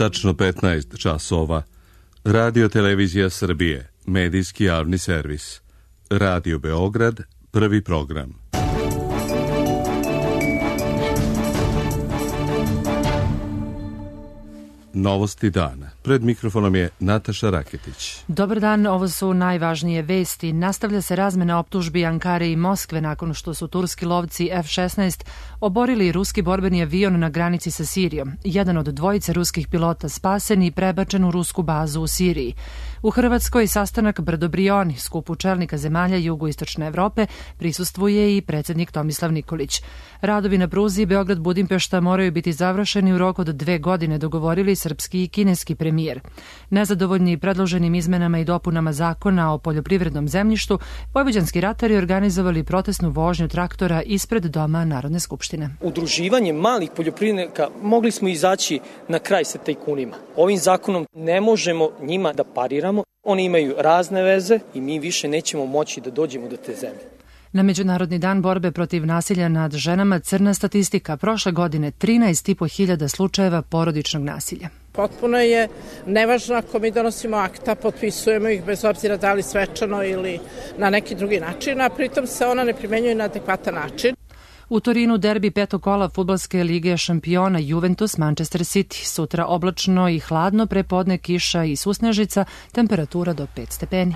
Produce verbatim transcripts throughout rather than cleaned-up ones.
tačno petnaest časova. Radio Televizija Srbije, medijski javni servis. Radio Beograd, prvi program. Novosti dana. Pred mikrofonom je Nataša Raketić. Dobar dan, ovo su najvažnije vesti. Nastavlja se razmena optužbi Ankare i Moskve nakon što su turski lovci F šesnaest oborili ruski borbeni avion na granici sa Sirijom. Jedan od dvojice ruskih pilota spasen i prebačen u rusku bazu u Siriji. U Hrvatskoj sastanak Brdo-Brioni, skupu čelnika zemalja jugoistočne Evrope, prisustvuje i predsjednik Tomislav Nikolić. Radovi na pruzi Beograd-Budimpešta moraju biti završeni u roku od dve godine, dogovorili srpski i kineski premijer. Nezadovoljni predloženim izmenama i dopunama zakona o poljoprivrednom zemljištu, vojvođanski ratari organizovali protestnu vožnju traktora ispred Doma Narodne skupštine. Udruživanjem malih poljoprivrednika mogli smo izaći na kraj sa tajkunima. Ovim zakonom ne možemo njima da pariramo. Oni imaju razne veze i mi više nećemo moći da dođemo do te zemlje. Na Međunarodni dan borbe protiv nasilja nad ženama crna statistika. Prošle godine trinaest i po hiljada slučajeva porodičnog nasilja. Potpuno je nevažno ako mi donosimo akta, potpisujemo ih bez obzira da li svečano ili na neki drugi način, a pritom se ona ne primenjuje na adekvatan način. U Torinu derbi petog kola fudbalske lige šampiona Juventus Manchester City. Sutra oblačno i hladno, prepodne kiša i susnežica, temperatura do pet stepeni.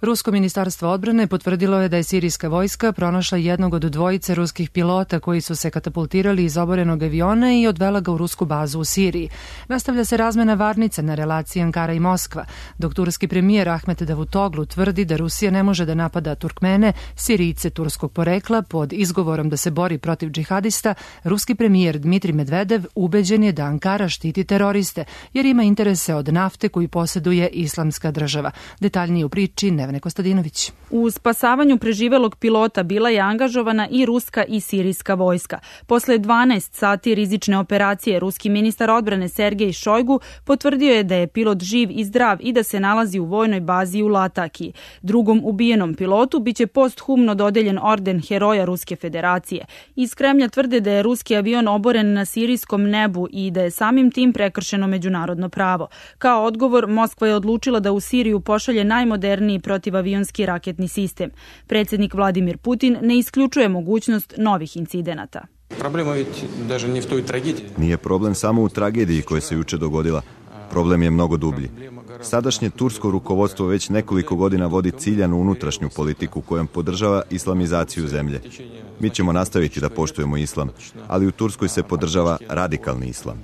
Rusko ministarstvo odbrane potvrdilo je da je sirijska vojska pronašla jednog od dvojice ruskih pilota koji su se katapultirali iz oborenog aviona i odvela ga u rusku bazu u Siriji. Nastavlja se razmena varnica na relaciji Ankara i Moskva, dok turski premijer Ahmet Davutoglu tvrdi da Rusija ne može da napada Turkmene, Sirijce turskog porekla, pod izgovorom da se bori protiv džihadista. Ruski premijer Dmitrij Medvedev ubeđen je da Ankara štiti teroriste, jer ima interese od nafte koju posjeduje Islamska država. Detaljnije u priči Nevene Kostadinović. U spasavanju preživelog pilota bila je angažovana i ruska i sirijska vojska. Posle dvanaest sati rizične operacije, ruski ministar odbrane Sergej Šojgu potvrdio je da je pilot živ i zdrav i da se nalazi u vojnoj bazi u Latakiji. Drugom ubijenom pilotu biće posthumno dodeljen orden Heroja Ruske federacije. Iz Kremlja tvrde da je ruski avion oboren na sirijskom nebu i da je samim tim prekršeno međunarodno pravo. Kao odgovor, Moskva je odlučila da u Siriju pošalje najmoderniji protivavionski raketni sistem. Predsjednik Vladimir Putin ne isključuje mogućnost novih incidenata. Nije problem samo u tragediji koja se juče dogodila. Problem je mnogo dublji. Sadašnje tursko rukovodstvo već nekoliko godina vodi ciljanu unutrašnju politiku kojom podržava islamizaciju zemlje. Mi ćemo nastaviti da poštujemo islam, ali u Turskoj se podržava radikalni islam.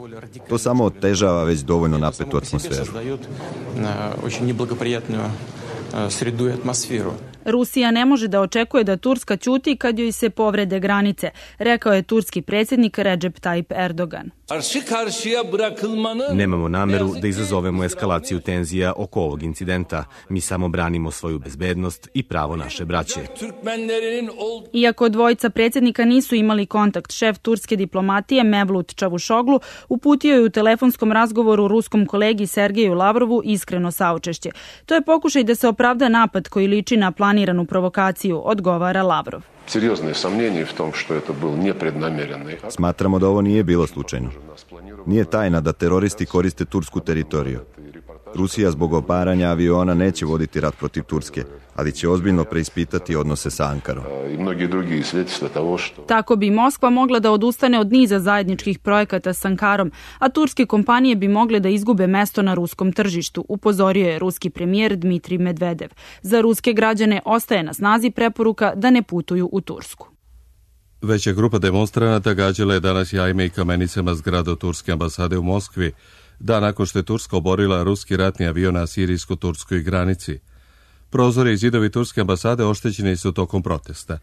To samo otežava već dovoljno napetu atmosferu. Sredu atmosferu. Rusija ne može da očekuje da Turska ćuti kad joj se povrede granice, rekao je turski predsjednik Recep Tayyip Erdogan. Nemamo nameru da izazovemo eskalaciju tenzija oko ovog incidenta. Mi samo branimo svoju bezbednost i pravo naše braće. Iako dvojica predsjednika nisu imali kontakt, šef turske diplomatije Mevlut Čavušoglu uputio je u telefonskom razgovoru ruskom kolegi Sergeju Lavrovu iskreno saučešće. To je pokušaj da se opravda napad koji liči na planiranu provokaciju, odgovara Lavrov. Smatramo da ovo nije bilo slučajno. Nije tajna da teroristi koriste tursku teritoriju. Rusija zbog obaranja aviona neće voditi rat protiv Turske, ali će ozbiljno preispitati odnose sa Ankarom. Tako bi Moskva mogla da odustane od niza zajedničkih projekata s Ankarom, a turske kompanije bi mogle da izgube mesto na ruskom tržištu, upozorio je ruski premijer Dmitrij Medvedev. Za ruske građane ostaje na snazi preporuka da ne putuju u Tursku. Veća grupa demonstranata gađala je danas jajima i kamenicama zgradu turske ambasade u Moskvi, dan nakon što je Turska oborila ruski ratni avion na sirijsko-turskoj granici. Prozori i zidovi turske ambasade oštećeni su tokom protesta.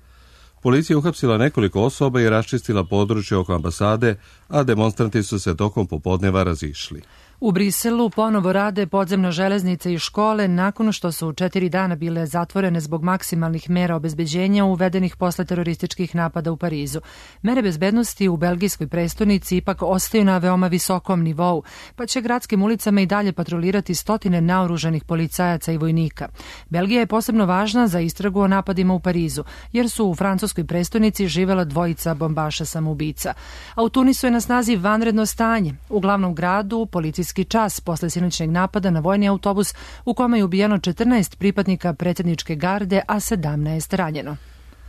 Policija uhapsila nekoliko osoba i raščistila područje oko ambasade, a demonstranti su se tokom popodneva razišli. U Briselu ponovo rade podzemna železnica i škole nakon što su četiri dana bile zatvorene zbog maksimalnih mera obezbeđenja uvedenih posle terorističkih napada u Parizu. Mere bezbednosti u belgijskoj prestonici ipak ostaju na veoma visokom nivou, pa će gradskim ulicama i dalje patrolirati stotine naoružanih policajaca i vojnika. Belgija je posebno važna za istragu o napadima u Parizu, jer su u francuskoj prestonici živela dvojica bombaša samoubica. A u Tunisu je na snazi vanredno stanje. U glavnom gradu policijski čas posle sinoćnjeg napada na vojni autobus u kome je ubijeno četrnaest pripadnika predsjedničke garde, a sedamnaest ranjeno.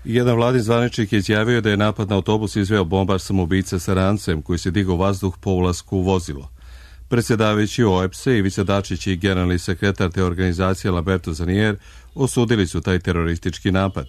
Jedan vladin zvaničnik je izjavio da je napad na autobus izveo bombaš samoubica sa rancem koji se digao vazduh po ulasku u vozilo. Predsjedavajući O E P S-e Ivica Dačić i generalni sekretar te organizacije Lamberto Zanier osudili su taj teroristički napad.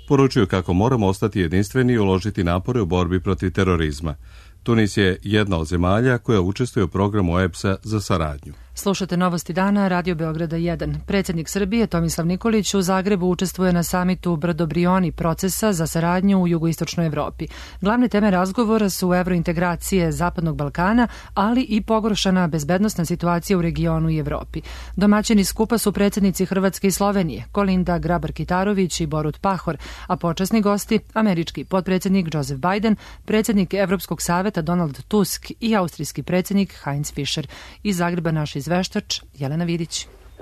Poručuju kako moramo ostati jedinstveni i uložiti napore u borbi protiv terorizma. Tunis je jedna od zemalja koja učestvuje u programu O E P S-a za saradnju. Slušate Novosti dana, Radio Beograda jedan. Predsjednik Srbije Tomislav Nikolić u Zagrebu učestvuje na samitu Brdo-Brioni procesa za saradnju u jugoistočnoj Evropi. Glavne teme razgovora su evrointegracije Zapadnog Balkana, ali i pogoršana bezbednosna situacija u regionu i Evropi. Domaćini skupa su predsjednici Hrvatske i Slovenije, Kolinda Grabar-Kitarović i Borut Pahor, a počasni gosti američki potpredsjednik Joseph Biden, predsjednik Evropskog saveta Donald Tusk i austrijski predsjednik Heinz Fischer. Iz Zagreba naš izveštač Jelena Vidić.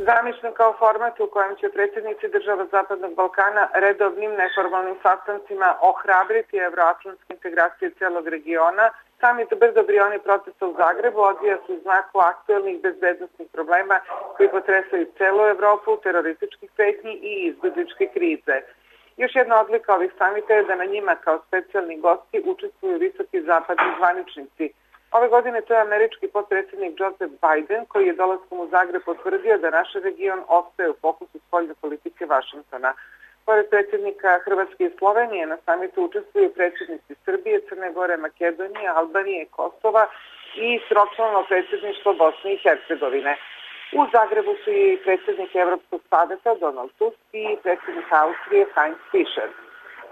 Zamišljen kao format u kojem će predsjednici država Zapadnog Balkana redovnim neformalnim sastancima ohrabriti evroatlantske integracije celog regiona, samit Brdo-Brioni procesa u Zagrebu odvija se u znaku aktuelnih bezbednosnih problema koji potresaju celu Evropu, terorističkih pretnji i izbegličke krize. Još jedna odlika ovih samita je da na njima kao specijalni gosti učestvuju visoki zapadni zvaničnici. Ove godine to je američki potpredsjednik Joseph Biden koji je dolaskom u Zagreb potvrdio da naš region ostaje u fokusu spoljne politike Vašingtona. Pored predsjednika Hrvatske i Slovenije na samitu učestvuju predsjednici Srbije, Crne Gore, Makedonije, Albanije, Kosova i sročlano predsjedništvo Bosne i Hercegovine. U Zagrebu su i predsjednik Evropskog saveta Donald Tusk i predsjednik Austrije Heinz Fischer.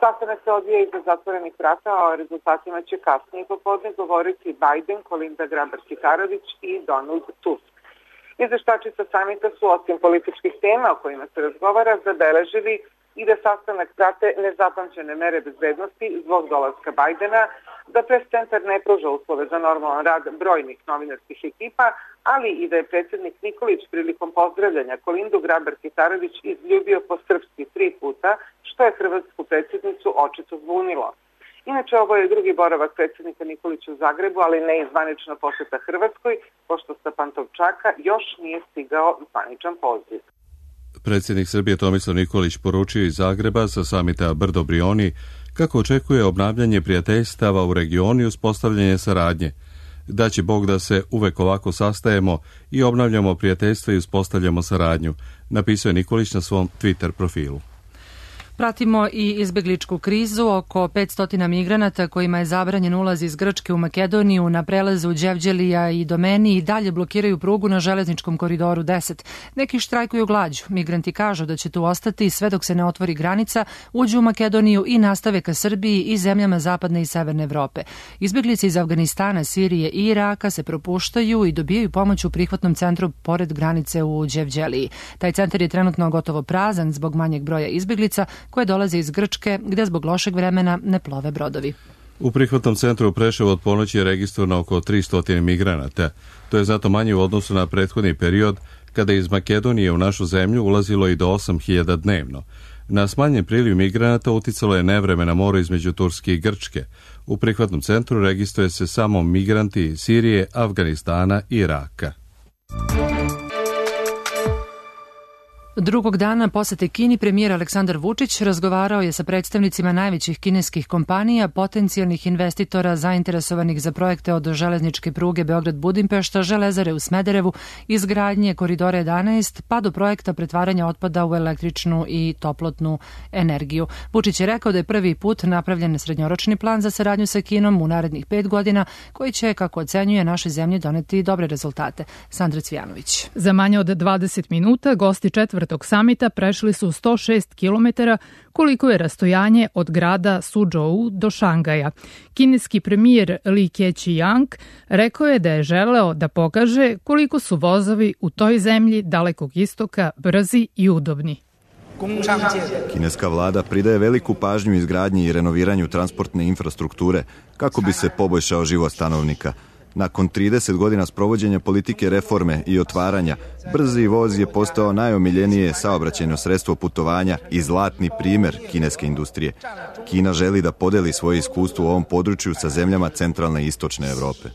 Sastanak se odvija iza zatvorenih vrata, a o rezultatima će kasnije popodne govoriti Biden, Kolinda Grabar-Kitarović i Donald Tusk. Izveštači sa samita su osim političkih tema o kojima se razgovara zabeležili i da sastanak prate nezapamćene mere bezbednosti zbog dolaska Bajdena, da pres centar ne pruža uslove za normalan rad brojnih novinarskih ekipa, ali i da je predsjednik Nikolić prilikom pozdravljanja Kolindu Grabar-Kitarović izljubio po srpski tri puta, što je hrvatsku predsjednicu očito zbunilo. Inače, ovo je drugi boravak predsjednika Nikolića u Zagrebu, ali ne i zvanična posjeta Hrvatskoj, pošto sa Pantovčaka još nije stigao zvaničan poziv. Predsjednik Srbije Tomislav Nikolić poručio iz Zagreba sa samita Brdo-Brioni kako očekuje obnavljanje prijateljstava u regionu i uspostavljanje saradnje. Da će Bog da se uvek ovako sastajemo i obnavljamo prijateljstva i uspostavljamo saradnju, napisao je Nikolić na svom Twitter profilu. Pratimo i izbegličku krizu. Oko petsto migranata kojima je zabranjen ulaz iz Grčke u Makedoniju na prelazu Đevđelija i Domeni i dalje blokiraju prugu na železničkom koridoru deset. Neki štrajkuju glađu. Migranti kažu da će tu ostati sve dok se ne otvori granica, uđu u Makedoniju i nastave ka Srbiji i zemljama zapadne i severne Evrope. Izbeglice iz Afganistana, Sirije i Iraka se propuštaju i dobijaju pomoć u prihvatnom centru pored granice u Đevđeliji. Taj centar je trenutno gotovo prazan zbog manjeg broja izbeglica koje dolaze iz Grčke, gde zbog lošeg vremena ne plove brodovi. U prihvatnom centru u Preševu od ponoći je registrovano oko tristo migranata. To je zato manje u odnosu na prethodni period, kada je iz Makedonije u našu zemlju ulazilo i do osam hiljada dnevno. Na smanjen priliv migranata uticalo je nevreme na moru između Turske i Grčke. U prihvatnom centru registruje se samo migranti iz Sirije, Afganistana i Iraka. Drugog dana posete Kini premijer Aleksandar Vučić razgovarao je sa predstavnicima najvećih kineskih kompanija, potencijalnih investitora zainteresovanih za projekte od železničke pruge Beograd-Budimpešta, železare u Smederevu, izgradnje koridora jedanaest, pa do projekta pretvaranja otpada u električnu i toplotnu energiju. Vučić je rekao da je prvi put napravljen srednjoročni plan za saradnju sa Kinom u narednih pet godina, koji će, kako ocenjuje, našoj zemlji doneti dobre rezultate. Sandra Cvijanović. Za manje od dvadeset minuta gosti četvrte četvrtog samita prešli su sto šest kilometara, koliko je rastojanje od grada Suzhou do Šangaja. Kineski premijer Li Keqiang rekao je da je želeo da pokaže koliko su vozovi u toj zemlji Dalekog istoka brzi i udobni. Kineska vlada pridaje veliku pažnju izgradnji i renoviranju transportne infrastrukture kako bi se poboljšao život stanovnika. Nakon trideset godina sprovođenja politike reforme i otvaranja, brzi voz je postao najomiljenije saobraćajno sredstvo putovanja i zlatni primer kineske industrije. Kina želi da podeli svoje iskustvo u ovom području sa zemljama centralne i istočne Evrope.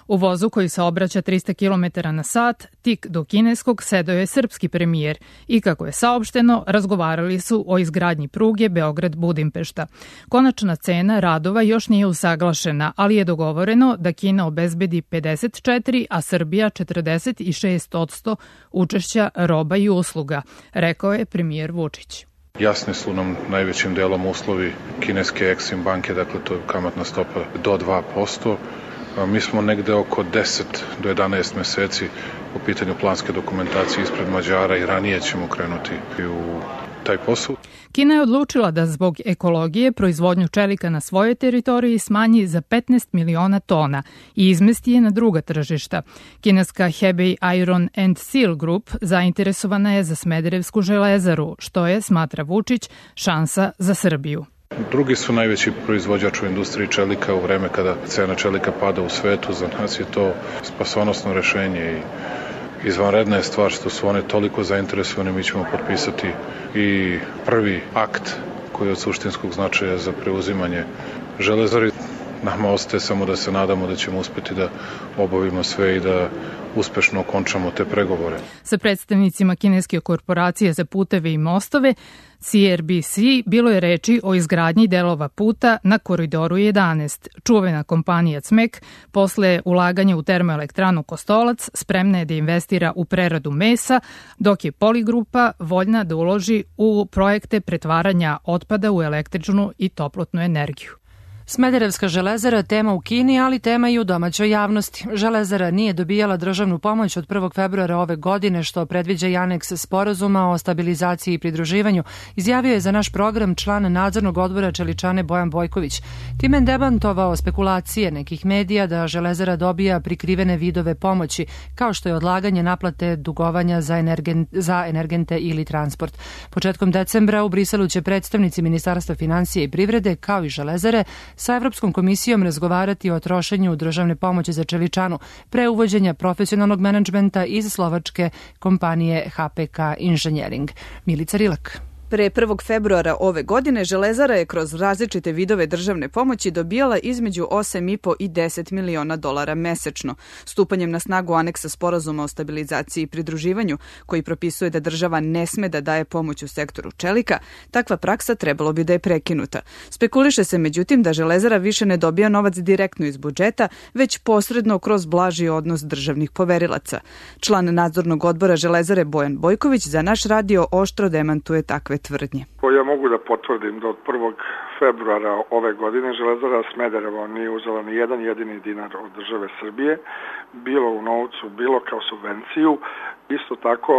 U vozu koji se obraća trista kilometara na sat, tik do kineskog, sedeo je srpski premijer i, kako je saopšteno, razgovarali su o izgradnji pruge Beograd-Budimpešta. Konačna cena radova još nije usaglašena, ali je dogovoreno da Kina obezbedi pedeset četiri, a Srbija četrdeset šest odsto učešća roba i usluga, rekao je premijer Vučić. Jasni su nam najvećim delom uslovi kineske Exim banke, dakle to je kamatna stopa do dva posto. Mi smo negde oko deset do jedanaest meseci po pitanju planske dokumentacije ispred Mađara i ranije ćemo krenuti u taj posao. Kina je odlučila da zbog ekologije proizvodnju čelika na svojoj teritoriji smanji za petnaest miliona tona i izmesti je na druga tržišta. Kineska Hebei Iron and Steel Group zainteresovana je za Smederevsku železaru, što je, smatra Vučić, šansa za Srbiju. Drugi su najveći proizvođač u industriji čelika u vreme kada cena čelika pada u svetu. Za nas je to spasonosno rešenje i izvanredna je stvar što su one toliko zainteresovane. Mi ćemo potpisati i prvi akt koji je od suštinskog značaja za preuzimanje železari. Nama ostaje samo da se nadamo da ćemo uspeti da obavimo sve i da uspešno okončamo te pregovore. Sa predstavnicima kineske korporacije za puteve i mostove C R B C bilo je reči o izgradnji delova puta na Koridoru jedanaest. Čuvena kompanija C M E K posle ulaganja u termoelektranu Kostolac spremna je da investira u preradu mesa, dok je Poligrupa voljna da uloži u projekte pretvaranja otpada u električnu i toplotnu energiju. Smederevska železara tema u Kini, ali tema i u domaćoj javnosti. Železara nije dobijala državnu pomoć od prvog februara ove godine, što predviđa i aneks sporazuma o stabilizaciji i pridruživanju, izjavio je za naš program član nadzornog odbora Čeličane Bojan Bojković. Time demantovao spekulacije nekih medija da železara dobija prikrivene vidove pomoći, kao što je odlaganje naplate dugovanja za, energen, za energente ili transport. Početkom decembra u Briselu će predstavnici Ministarstva finansije i privrede, kao i železare, sa Evropskom komisijom razgovarati o trošenju državne pomoći za Čeličanu pre uvođenja profesionalnog menadžmenta iz slovačke kompanije H P K Engineering. Milica Rilak. Pre prvog februara ove godine železara je kroz različite vidove državne pomoći dobijala između osam i po i deset miliona dolara mesečno. Stupanjem na snagu aneksa sporazuma o stabilizaciji i pridruživanju, koji propisuje da država ne sme da daje pomoć u sektoru čelika, takva praksa trebalo bi da je prekinuta. Spekuliše se međutim da železara više ne dobija novac direktno iz budžeta, već posredno kroz blaži odnos državnih poverilaca. Član nadzornog odbora železare Bojan Bojković za naš radio oštro demantuje takve tvrdnje. Ja mogu da potvrdim da od prvog februara ove godine železara Smederevo nije uzela ni jedan jedini dinar od države Srbije, bilo u novcu, bilo kao subvenciju. Isto tako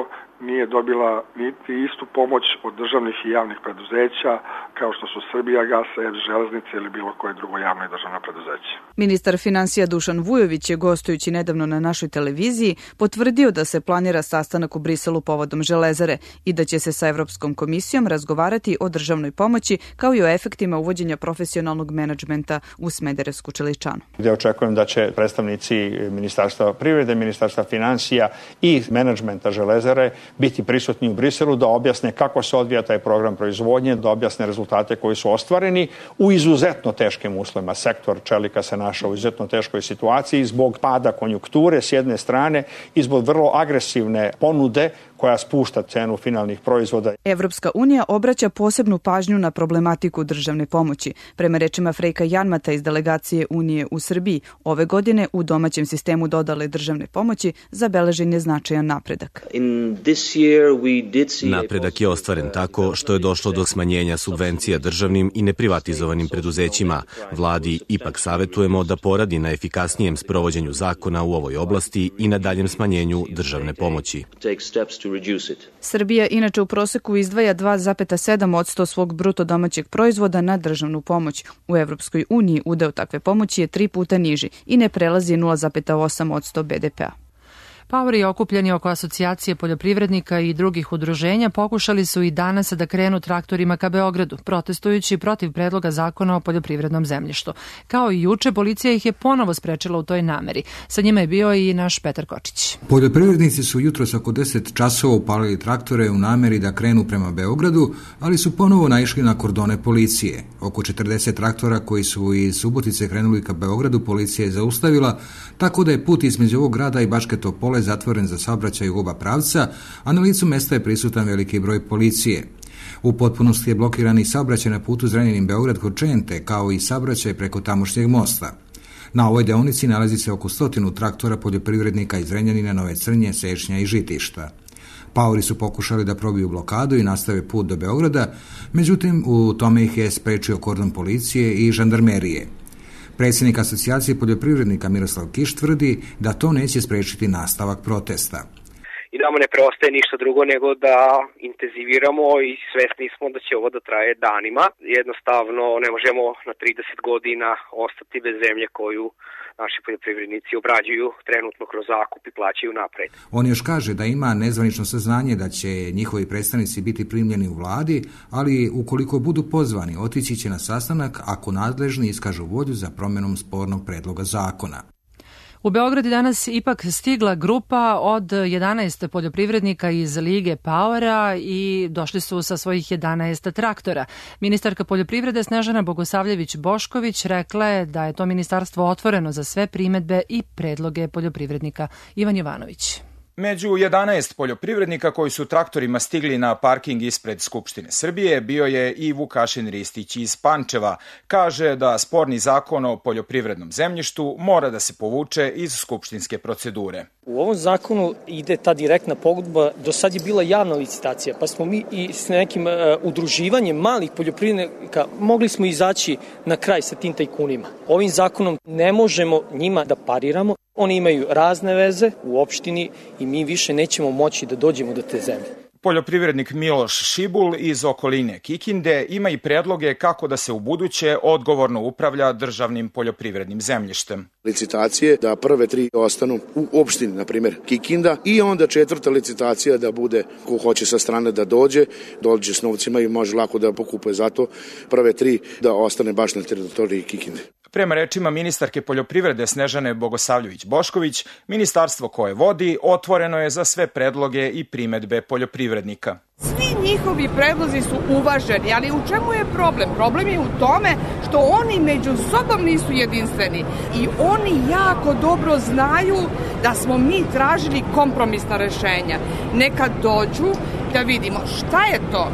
nije dobila niti istu pomoć od državnih i javnih preduzeća kao što su Srbijagas, E P S Železnice ili bilo koje drugo javno i državno preduzeće. Ministar finansija Dušan Vujović je, gostujući nedavno na našoj televiziji, potvrdio da se planira sastanak u Briselu povodom železare i da će se sa Evropskom komisijom razgovarati o državnoj pomoći kao i o efektima uvođenja profesionalnog menadžmenta u Smederevsku Čeličanu. Gde očekujem da će predstavnici Ministarstva privrede, Ministarstva finansija i menadžmenta železare biti prisutni u Briselu da objasne kako se odvija taj program proizvodnje, da objasne rezultate koji su ostvareni u izuzetno teškim uslovima. Sektor čelika se našao u izuzetno teškoj situaciji zbog pada konjunkture s jedne strane i zbog vrlo agresivne ponude koja spušta cenu finalnih proizvoda. Evropska unija obraća posebnu pažnju na problematiku državne pomoći. Prema rečima Frejka Janmata iz delegacije Unije u Srbiji, ove godine u domaćem sistemu dodale državne pomoći zabeležen je značajan napredak. Napredak je ostvaren tako što je došlo do smanjenja subvencija državnim i neprivatizovanim preduzećima. Vladi ipak savetujemo da poradi na efikasnijem sprovođenju zakona u ovoj oblasti i na daljem smanjenju državne pomoći. Srbija inače u proseku izdvaja dva zarez sedam posto svog bruto domaćeg proizvoda na državnu pomoć. U Evropskoj uniji udeo takve pomoći je tri puta niži i ne prelazi nula zarez osam posto be de pea. Paori okupljeni oko asocijacije poljoprivrednika i drugih udruženja pokušali su i danas da krenu traktorima ka Beogradu, protestujući protiv predloga zakona o poljoprivrednom zemljištu. Kao i juče, policija ih je ponovo sprečila u toj nameri. Sa njima je bio i naš Petar Kočić. Poljoprivrednici su jutros oko deset časova upalili traktore u nameri da krenu prema Beogradu, ali su ponovo naišli na kordone policije. Oko četrdeset traktora koji su iz Subotice krenuli ka Beogradu policija je zaustavila, tako da je put između ovog grada i Bačke Topole zatvoren za saobraćaj u oba pravca, a na licu mesta je prisutan veliki broj policije. U potpunosti je blokiran i saobraćaj na putu Zrenjanin-Beograd kod Čente, kao i saobraćaj preko tamošnjeg mosta. Na ovoj deonici nalazi se oko stotinu traktora poljoprivrednika iz Zrenjanina, Nove Crnje, Sešnja i Žitišta. Paori su pokušali da probiju blokadu i nastave put do Beograda, međutim u tome ih je sprečio kordon policije i žandarmerije. Predsjednik asocijacije poljoprivrednika Miroslav Kiš tvrdi da to neće sprečiti nastavak protesta. I nama ne preostaje ništa drugo nego da intenziviramo i svesni smo da će ovo da traje danima. Jednostavno ne možemo na trideset godina ostati bez zemlje koju naši poljoprivrednici obrađuju trenutno kroz zakup i plaćaju napred. On još kaže da ima nezvanično saznanje da će njihovi predstavnici biti primljeni u vladi, ali ukoliko budu pozvani, otići će na sastanak ako nadležni iskažu volju za promjenom spornog predloga zakona. U Beograd je danas ipak stigla grupa od jedanaest poljoprivrednika iz Lige Paora i došli su sa svojih jedanaest traktora. Ministarka poljoprivrede Snežana Bogosavljević-Bošković rekla je da je to ministarstvo otvoreno za sve primedbe i predloge poljoprivrednika. Ivan Jovanović. Među jedanaest poljoprivrednika koji su traktorima stigli na parking ispred Skupštine Srbije bio je i Vukašin Ristić iz Pančeva. Kaže da sporni zakon o poljoprivrednom zemljištu mora da se povuče iz skupštinske procedure. U ovom zakonu ide ta direktna pogodba, do sad je bila javna licitacija, pa smo mi i s nekim uh, udruživanjem malih poljoprivrednika mogli smo izaći na kraj sa tim tajkunima. Ovim zakonom ne možemo njima da pariramo. Oni imaju razne veze u opštini i mi više nećemo moći da dođemo do te zemlje. Poljoprivrednik Miloš Šibul iz okoline Kikinde ima i predloge kako da se u buduće odgovorno upravlja državnim poljoprivrednim zemljištem. Licitacije da prve tri ostanu u opštini, na primjer Kikinda, i onda četvrta licitacija da bude ko hoće sa strane da dođe, dođe s novcima i može lako da pokupuje, zato prve tri da ostane baš na teritoriji Kikinde. Prema rečima ministarke poljoprivrede Snežane Bogosavljević-Bošković, ministarstvo koje vodi otvoreno je za sve predloge i primedbe poljoprivrednika. Svi njihovi predlozi su uvaženi, ali u čemu je problem? Problem je u tome što oni među sobom nisu jedinstveni i oni jako dobro znaju da smo mi tražili kompromisna rešenja. Neka dođu da vidimo šta je to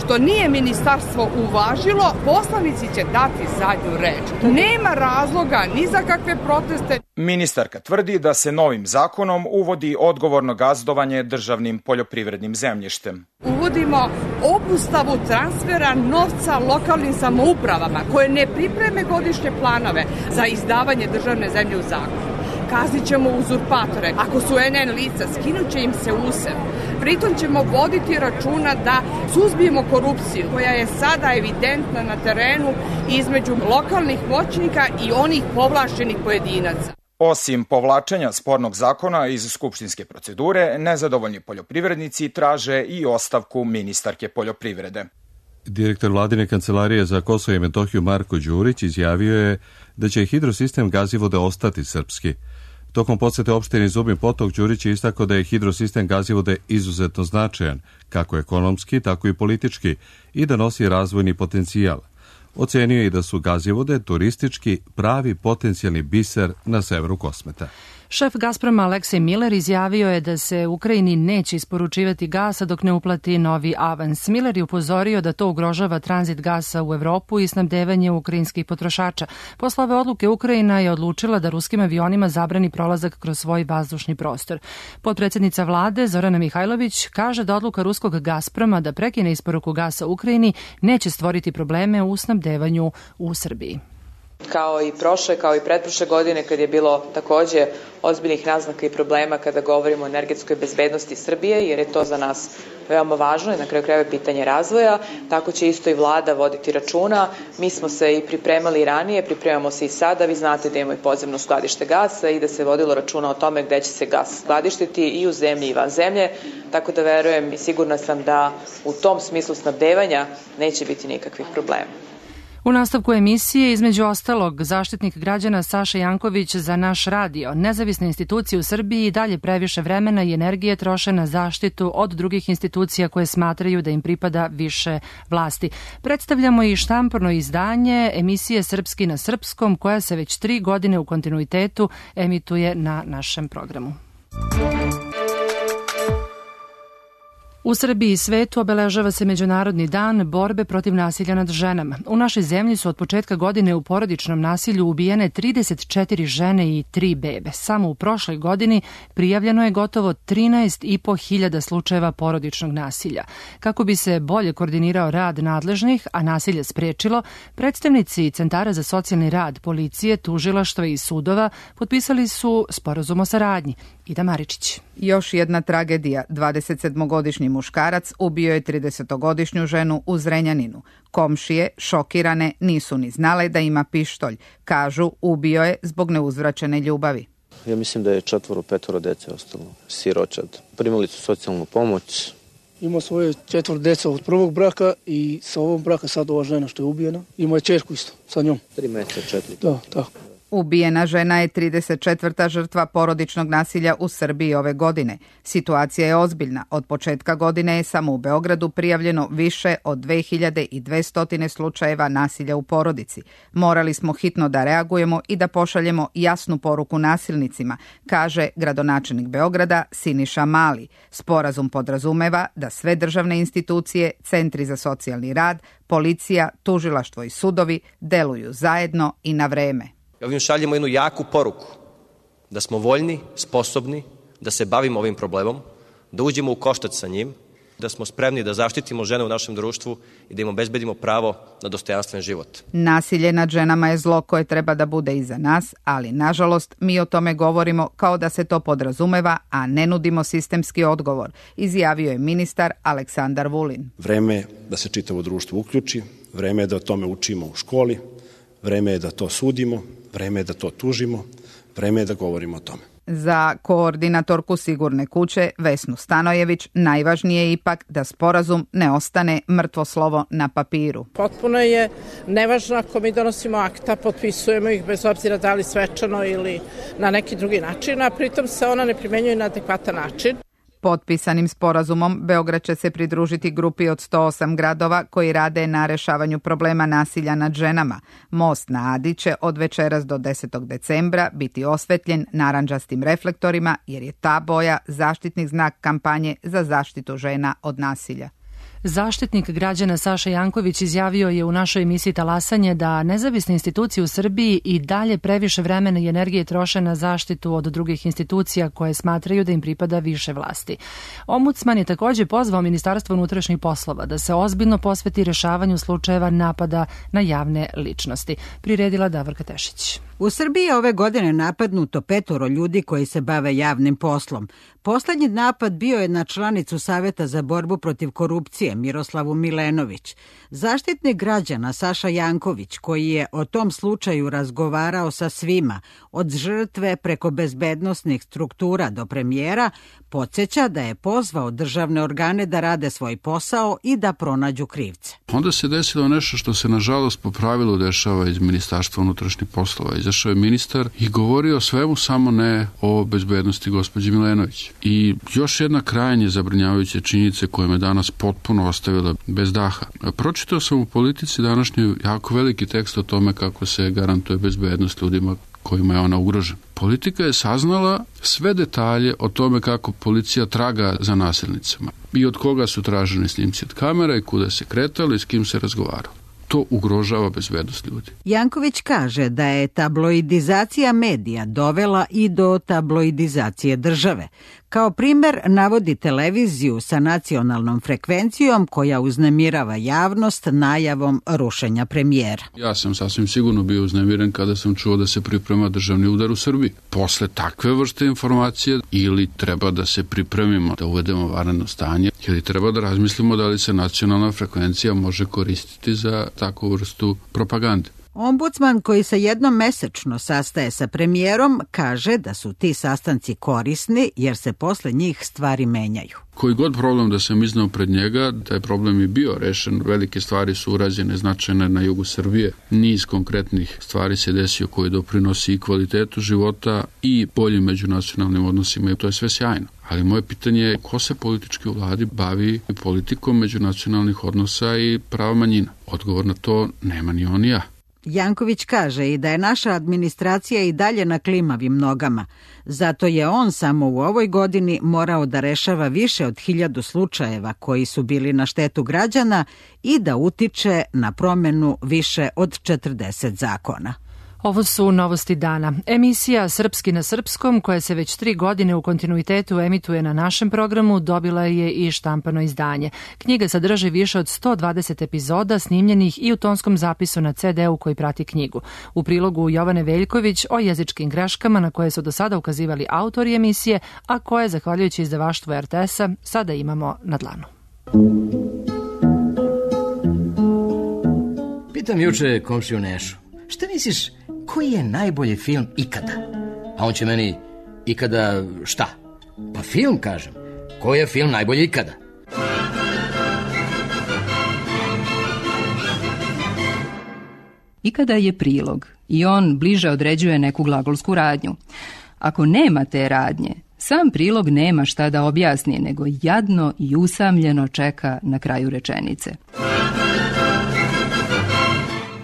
što nije ministarstvo uvažilo, poslanici će dati zadnju reč. Nema razloga ni za kakve proteste. Ministarka tvrdi da se novim zakonom uvodi odgovorno gazdovanje državnim poljoprivrednim zemljištem. Uvodimo obustavu transfera novca lokalnim samoupravama koje ne pripreme godišnje planove za izdavanje državne zemlje u zakup. Kaznit ćemo uzurpatore. Ako su en en lica, skinut će im se usev. Pritom ćemo voditi računa da suzbijemo korupciju koja je sada evidentna na terenu između lokalnih moćnika i onih povlašćenih pojedinaca. Osim povlačenja spornog zakona iz skupštinske procedure, nezadovoljni poljoprivrednici traže i ostavku ministarke poljoprivrede. Direktor vladine kancelarije za Kosovo i Metohiju Marko Đurić izjavio je da će hidrosistem Gazivode ostati srpski. Tokom posete opštini Zubin Potok, Đurić je istakao da je hidrosistem Gazivode izuzetno značajan, kako ekonomski, tako i politički, i da nosi razvojni potencijal. Ocenio je i da su Gazivode turistički pravi potencijalni biser na severu Kosmeta. Šef Gazproma Aleksej Miller izjavio je da se Ukrajini neće isporučivati gasa dok ne uplati novi avans. Miller je upozorio da to ugrožava tranzit gasa u Evropu i snabdevanje ukrajinskih potrošača. Posle ove odluke Ukrajina je odlučila da ruskim avionima zabrani prolazak kroz svoj vazdušni prostor. Potpredsjednica vlade Zorana Mihajlović kaže da odluka ruskog Gazproma da prekine isporuku gasa Ukrajini neće stvoriti probleme u snabdevanju u Srbiji. kao i prošle, kao i pretprošle godine kad je bilo takođe ozbiljnih naznaka i problema kada govorimo o energetskoj bezbednosti Srbije, jer je to za nas veoma važno i na kraju krajeva pitanje razvoja. Tako će isto i vlada voditi računa. Mi smo se i pripremali ranije, pripremamo se i sada. Vi znate da imamo i podzemno skladište gasa i da se vodilo računa o tome gde će se gas skladištiti i u zemlji i van zemlje. Tako da verujem i sigurna sam da u tom smislu snabdevanja neće biti nikakvih problema. U nastavku emisije, između ostalog, zaštitnik građana Saša Janković za naš radio. Nezavisne institucije u Srbiji i dalje previše vremena i energije troše na zaštitu od drugih institucija koje smatraju da im pripada više vlasti. Predstavljamo i štamporno izdanje emisije Srpski na srpskom, koja se već tri godine u kontinuitetu emituje na našem programu. U Srbiji i svetu obeležava se Međunarodni dan borbe protiv nasilja nad ženama. U našoj zemlji su od početka godine u porodičnom nasilju ubijene trideset četiri žene i tri bebe. Samo u prošloj godini prijavljeno je gotovo trinaest i po hiljada slučajeva porodičnog nasilja. Kako bi se bolje koordinirao rad nadležnih, a nasilje sprečilo, predstavnici Centara za socijalni rad, policije, tužilaštva i sudova potpisali su sporazum o saradnji. Ida Maričić. Još jedna tragedija. dvadesetsedmogodišnji muškarac ubio je tridesetogodišnju ženu u Zrenjaninu. Komšije, šokirane, nisu ni znale da ima pištolj. Kažu, ubio je zbog neuzvraćene ljubavi. Ja mislim da je četvoro, petoro dece ostalo siročad. Primali su socijalnu pomoć. Ima svoje četvoro deca od prvog braka i sa ovom braka sad ova žena što je ubijena. Ima je čerku isto sa njom. Tri meseca, četiri. Da, tako. Ubijena žena je trideset četvrta žrtva porodičnog nasilja u Srbiji ove godine. Situacija je ozbiljna. Od početka godine je samo u Beogradu prijavljeno više od dve hiljade dvesta slučajeva nasilja u porodici. Morali smo hitno da reagujemo i da pošaljemo jasnu poruku nasilnicima, kaže gradonačelnik Beograda Siniša Mali. Sporazum podrazumeva da sve državne institucije, centri za socijalni rad, policija, tužilaštvo i sudovi deluju zajedno i na vreme. Ovim šaljemo jednu jaku poruku da smo voljni, sposobni da se bavimo ovim problemom, da uđemo u koštac sa njim, da smo spremni da zaštitimo žene u našem društvu i da im obezbedimo pravo na dostojanstven život. Nasilje nad ženama je zlo koje treba da bude iza nas, ali nažalost mi o tome govorimo kao da se to podrazumeva, a ne nudimo sistemski odgovor, izjavio je ministar Aleksandar Vulin. Vreme je da se čitavo društvo uključi, vreme je da o tome učimo u školi, vreme je da to sudimo, vreme je da to tužimo, vreme je da govorimo o tome. Za koordinatorku Sigurne kuće Vesnu Stanojević najvažnije je ipak da sporazum ne ostane mrtvo slovo na papiru. Potpuno je nevažno ako mi donosimo akta, potpisujemo ih bez obzira da li svečano ili na neki drugi način, a pritom se ona ne primenjuje na adekvatan način. Potpisanim sporazumom Beograd će se pridružiti grupi od sto osam gradova koji rade na rešavanju problema nasilja nad ženama. Most na Adi će od večeras do desetog decembra biti osvetljen narandžastim reflektorima jer je ta boja zaštitni znak kampanje za zaštitu žena od nasilja. Zaštitnik građana Saša Janković izjavio je u našoj emisiji Talasanje da nezavisne institucije u Srbiji i dalje previše vremena i energije troše na zaštitu od drugih institucija koje smatraju da im pripada više vlasti. Ombudsman je također pozvao Ministarstvo unutrašnjih poslova da se ozbiljno posveti rešavanju slučajeva napada na javne ličnosti. Priredila Davorka Tešić. U Srbiji je ove godine napadnuto petoro ljudi koji se bave javnim poslom. Poslednji napad bio je na članicu Saveta za borbu protiv korupcije Miroslavu Milenović. Zaštitnik građana Saša Janković, koji je o tom slučaju razgovarao sa svima, od žrtve preko bezbednosnih struktura do premijera, podsjeća da je pozvao državne organe da rade svoj posao i da pronađu krivce. Onda se desilo nešto što se nažalost po pravilu dešava iz Ministarstva unutrašnjih poslova. Izašao je ministar i govorio o svemu, samo ne o bezbednosti gospođe Milenović. I još jedna krajnje zabrinjavajuća činjenica koja me danas potpuno ostavila bez daha. Pročitao sam u Politici današnji jako veliki tekst o tome kako se garantuje bezbednost ljudima kojima je ona ugrožena. Politika je saznala sve detalje o tome kako policija traga za nasilnicama i od koga su traženi snimci od kamera i kuda se kretali i s kim se razgovaralo. To ugrožava bezbednost ljudi. Janković kaže da je tabloidizacija medija dovela i do tabloidizacije države. Kao primer navodi televiziju sa nacionalnom frekvencijom koja uznemirava javnost najavom rušenja premijera. Ja sam sasvim sigurno bio uznemiren kada sam čuo da se priprema državni udar u Srbiji. Posle takve vrste informacije ili treba da se pripremimo da uvedemo vanredno stanje ili treba da razmislimo da li se nacionalna frekvencija može koristiti za takvu vrstu propagande. Ombudsman koji se jednom mesečno sastaje sa premijerom kaže da su ti sastanci korisni jer se posle njih stvari menjaju. Koji god problem da sam iznao pred njega, taj problem je bio rešen, velike stvari su urađene značajne na jugu Srbije, niz konkretnih stvari se desio koji doprinosi i kvalitetu života i boljim međunacionalnim odnosima i to je sve sjajno. Ali moje pitanje je ko se politički u vladi bavi politikom međunacionalnih odnosa i prava manjina? Odgovor na to nema ni on ni ja. Janković kaže i da je naša administracija i dalje na klimavim nogama. Zato je on samo u ovoj godini morao da rešava više od hiljadu slučajeva koji su bili na štetu građana i da utiče na promenu više od četrdeset zakona. Ovo su novosti dana. Emisija Srpski na srpskom, koja se već tri godine u kontinuitetu emituje na našem programu, dobila je i štampano izdanje. Knjiga sadrži više od sto dvadeset epizoda snimljenih i u tonskom zapisu na ce de u koji prati knjigu. U prilogu Jovane Veljković o jezičkim greškama na koje su do sada ukazivali autori emisije, a koje, zahvaljujući izdavaštvu er te es-a, sada imamo na dlanu. Pitam juče komšiju Nešu, šta misliš, koji je najbolji film ikada? A on će meni, ikada šta? Pa film, kažem. Koji je film najbolji ikada? Ikada je prilog i on bliže određuje neku glagolsku radnju. Ako nema te radnje, sam prilog nema šta da objasni, nego jadno i usamljeno čeka na kraju rečenice.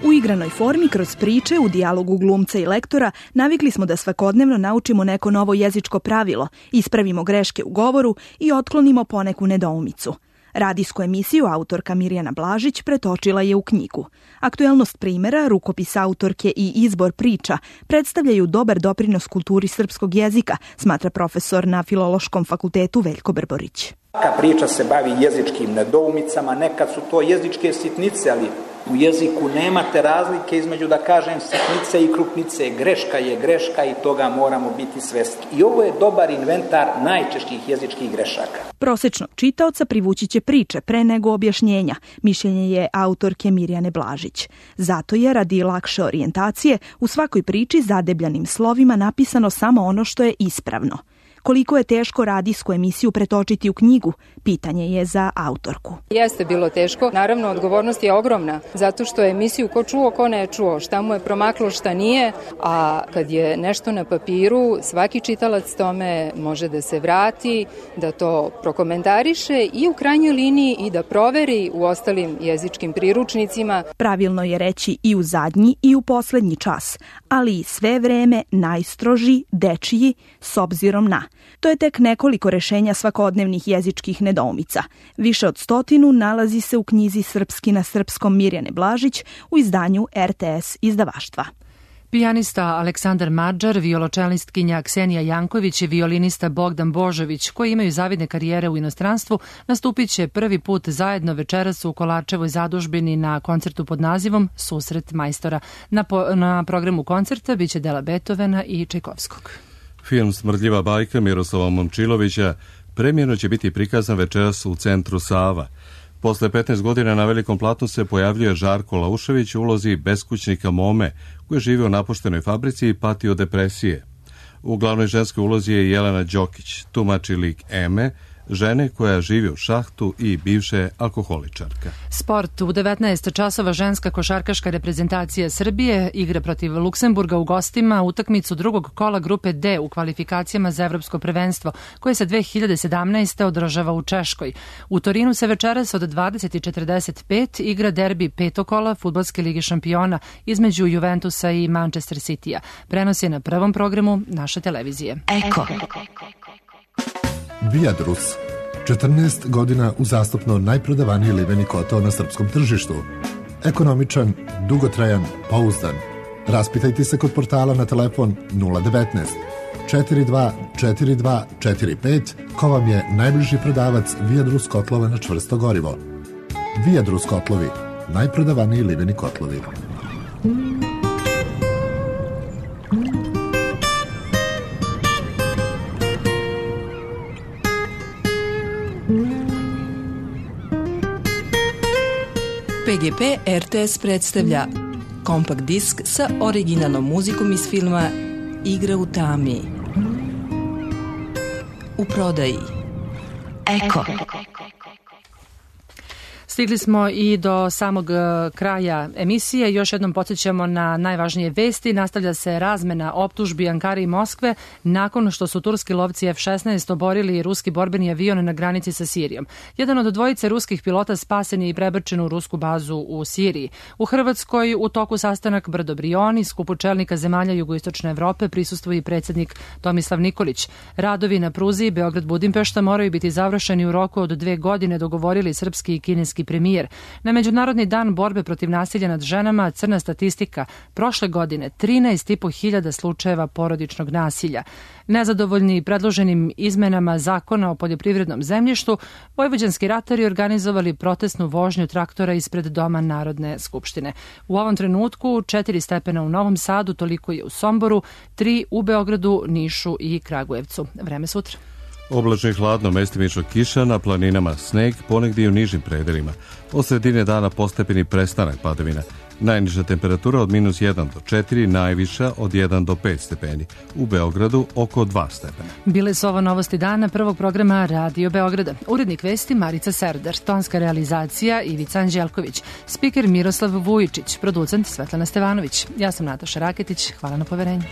U igranoj formi, kroz priče, u dijalogu glumca i lektora, navikli smo da svakodnevno naučimo neko novo jezičko pravilo, ispravimo greške u govoru i otklonimo poneku nedoumicu. Radijsku emisiju autorka Mirjana Blažić pretočila je u knjigu. Aktuelnost primjera, rukopis autorke i izbor priča predstavljaju dobar doprinos kulturi srpskog jezika, smatra profesor na Filološkom fakultetu Veljko Brborić. Svaka priča se bavi jezičkim nedoumicama, nekad su to jezičke sitnice, ali u jeziku nemate razlike između, da kažem, sitnice i krupnice. Greška je greška i toga moramo biti svesni. I ovo je dobar inventar najčešćih jezičkih grešaka. Prosečnog čitaoca privući će priče pre nego objašnjenja, mišljenje je autorke Mirjane Blažić. Zato je, radi lakše orijentacije, u svakoj priči zadebljanim slovima napisano samo ono što je ispravno. Koliko je teško radijsku emisiju pretočiti u knjigu, pitanje je za autorku. Jeste bilo teško, naravno odgovornost je ogromna, zato što je emisiju ko čuo, ko ne čuo, šta mu je promaklo, šta nije, a kad je nešto na papiru, svaki čitalac tome može da se vrati, da to prokomentariše i u krajnjoj liniji i da proveri u ostalim jezičkim priručnicima. Pravilno je reći i u zadnji i u poslednji čas, ali i sve vreme najstroži, dečiji, s obzirom na. To je tek nekoliko rešenja svakodnevnih jezičkih nedoumica. Više od stotinu nalazi se u knjizi Srpski na srpskom Mirjane Blažić u izdanju er te es izdavaštva. Pijanista Aleksandar Madžar, violočelistkinja Ksenija Janković i violinista Bogdan Božović, koji imaju zavidne karijere u inostranstvu, nastupit će prvi put zajedno večeras u Kolarčevoj zadužbini na koncertu pod nazivom Susret majstora. Na, po, na programu koncerta biće dela Beethovena i Čajkovskog. Film Smrdljiva bajka Miroslava Momčilovića premijerno će biti prikazan večeras u centru Sava. Posle petnaest godina na velikom platnu se pojavljuje Žarko Laušević u ulozi beskućnika Mome, koji živi u napuštenoj fabrici i pati od depresije. U glavnoj ženskoj ulozi je Jelena Đokić, tumači lik Eme, žene koja živi u šahtu i bivše alkoholičarka. Sport. U devetnaest časova ženska košarkaška reprezentacija Srbije igra protiv Luksemburga u gostima utakmicu drugog kola grupe D u kvalifikacijama za evropsko prvenstvo, koje se dve hiljade sedamnaeste. održava u Češkoj. U Torinu se večeras od dvadeset četrdeset pet igra derbi petokola Fudbalske lige šampiona između Juventusa i Manchester Citya. Prenos je na prvom programu naše televizije. Eko. Viadrus. četrnaest godina uzastopno najprodavaniji liveni kotao na srpskom tržištu. Ekonomičan, dugotrajan, pouzdan. Raspitajte se kod portala na telefon nula devetnaest četiri dva četiri dva četiri pet, ko vam je najbliži prodavac Viadrus kotlova na čvrsto gorivo. Viadrus kotlovi, najprodavaniji liveni kotlovi. P G P R T S predstavlja kompakt disk sa originalnom muzikom iz filma Igra u tami. U prodaji Eko. Stigli smo i do samog kraja emisije. Još jednom podsjećamo na najvažnije vesti. Nastavlja se razmena optužbi Ankare i Moskve nakon što su turski lovci F šesnaest oborili ruski borbeni avion na granici sa Sirijom. Jedan od dvojice ruskih pilota spasen je i prebačen u rusku bazu u Siriji. U Hrvatskoj u toku sastanak Brdo Brioni, skupu čelnika zemalja jugoistočne Evrope, prisustvuje i predsjednik Tomislav Nikolić. Radovi na pruzi Beograd-Budimpešta moraju biti završeni u roku od dve godine, dogovorili srpski i kineski premijer. Na Međunarodni dan borbe protiv nasilja nad ženama crna statistika. Prošle godine trinaest i po hiljada slučajeva porodičnog nasilja. Nezadovoljni predloženim izmenama zakona o poljoprivrednom zemljištu, vojvođanski ratari organizovali protestnu vožnju traktora ispred Doma Narodne skupštine. U ovom trenutku četiri stepena u Novom Sadu, toliko je u Somboru, tri u Beogradu, Nišu i Kragujevcu. Vreme sutra. Oblačno i hladno, mestimično kiša, na planinama sneg, ponegdje i u nižim predelima. Od sredine dana postepeni prestanak padavina. Najniža temperatura od minus jedan do četiri, najviša od jedan do pet stepeni. U Beogradu oko dva stepena. Bile su ovo novosti dana prvog programa Radio Beograda. Urednik vesti Marica Serdar, tonska realizacija Ivica Anđelković, spiker Miroslav Vujičić, producent Svetlana Stevanović. Ja sam Nataša Raketić, hvala na poverenju.